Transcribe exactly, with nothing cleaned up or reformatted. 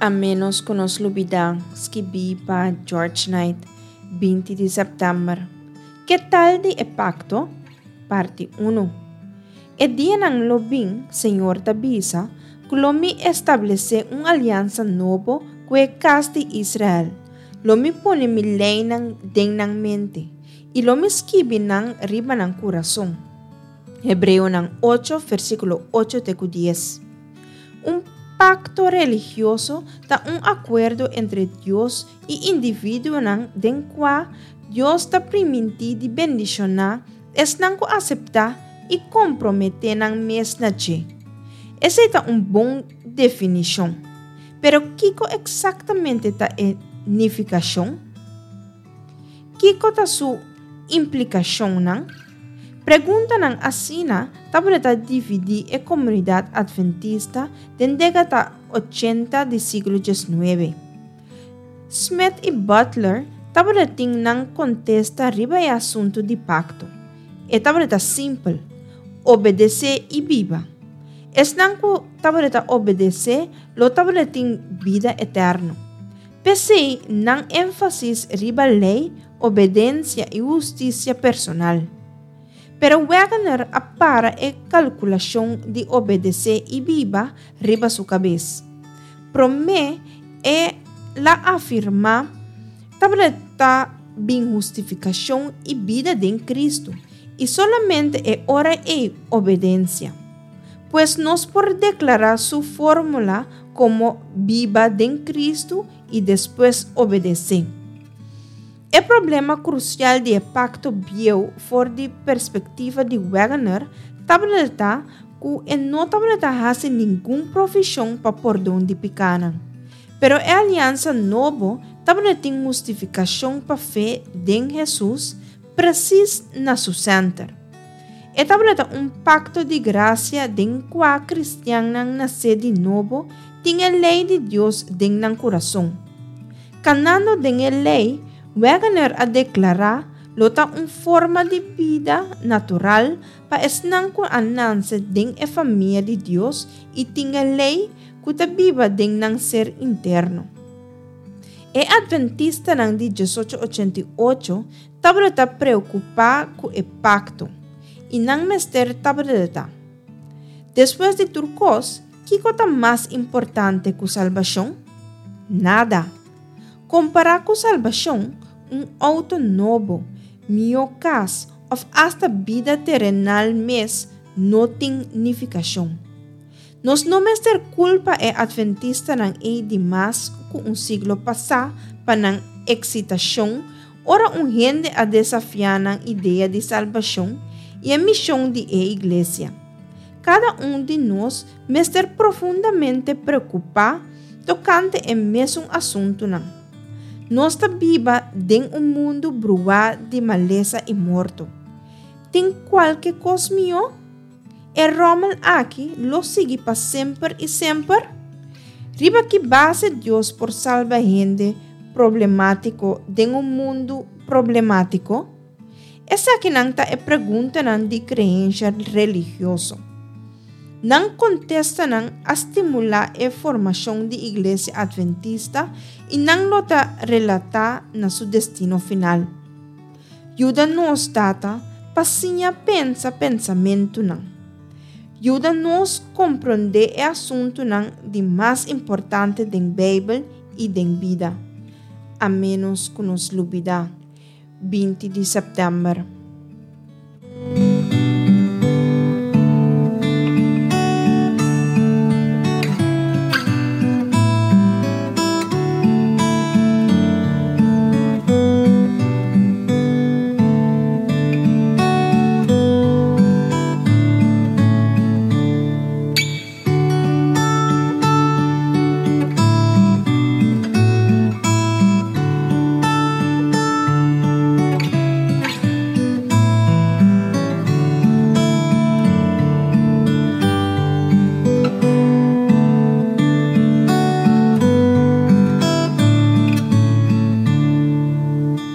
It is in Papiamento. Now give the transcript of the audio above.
A ménos ku nos lubidá, skibí pa George Knight, binti di sèptèmber. Ke tal di e pakto? Parti un. E dianan lo bin, Señor ta bisa, ku lo mi establesé un aliansa nobo ku e kas di Israel. Lo mi pone mi leinan den nan mente, i lo mi skibi nan riba nan kurason. Hebreonan ocho, versíkulo ocho te ku dies. Un pakto religioso ta un akuerdo entre Dios i individuonan den kua Dios ta primintí di bendishoná esnan ku aseptá i komprometé nan mes na dje. Esei ta un bon definishon. Pero kiko eksaktamente ta e nifikashon? Kiko ta su implikashonnan? Preguntanan asina tabata dividí e komunidat atventista den dékada ochenta di siglo diesnuebe. Smith i Butler tabatin nan kontesta riba e asuntu di pakto. E tabata simpel: obedesé i biba. Esnan ku tabata obedesé lo tabatin bida eterno. P'esei nan énfasis riba lei, obedensia i hustisia personal. Pero Waggoner a para e kalkulashon di obedesé i biba riba su kabes. Promé el a afirmá tabata bin hustifikashon i bida den Kristu, i solamente e ora ei obedensia. Pues nos por deklará su fórmula komo biba den Kristu i despues obedesé. E problema krusial di e pakto bieu for di perspektiva di Waggoner tabata ku e no tabata hasi ningun provishon pa pordon di pikánan. Pero e aliansa nobo tabatin hustifikashon pa fe den Hesus presis na su senter. E tabata un pakto di grasia den kua kristiannan nasé di nobo tin e lei di Dios den nan kurason. Kanando den e lei, Waggoner a deklará, lo ta un forma di bida natural pa esnan ku a nase den e famia di Dios i tin e lei ku ta biba den nan ser interno. E atventistanan di diesocho ochenta i ocho tabata preokupá ku e pakto, i nan mester tabata. Despues di tur kos, kiko ta mas importante ku salbashon? Nada. Kompará ku salbashon, un outo nobo, mihó kas òf asta bida terenal mes no tin nifikashon. Nos no mester kulpa e atventistanan ei di mas ku un siglo pasá pa nan eksitashon ora un hende a desafiá nan idea di salbashon i e mishon di e iglesia. Kada un di nos mester profundamente preokupá tokante e mesun asuntunan. Nos ta biba den un mundu bruá di malesa i morto. Tin kualke kos mihó? E ròmel aki lo sigui pa semper i semper? Riba ki base Dios por salba hende problemátiko den un mundu problemátiko? Esakinan ta e preguntanan di kreensia religioso. Nan kontestanan a stimulá e formashon di Iglesia Atventista i nan lo ta relatá na su destino final. Yuda nos, Tata, pa siña pensa pensamentunan. Yuda nos komprondé e asuntunan di mas importante den Beibel i den bida. A ménos ku nos lubidá. binti di sèptèmber.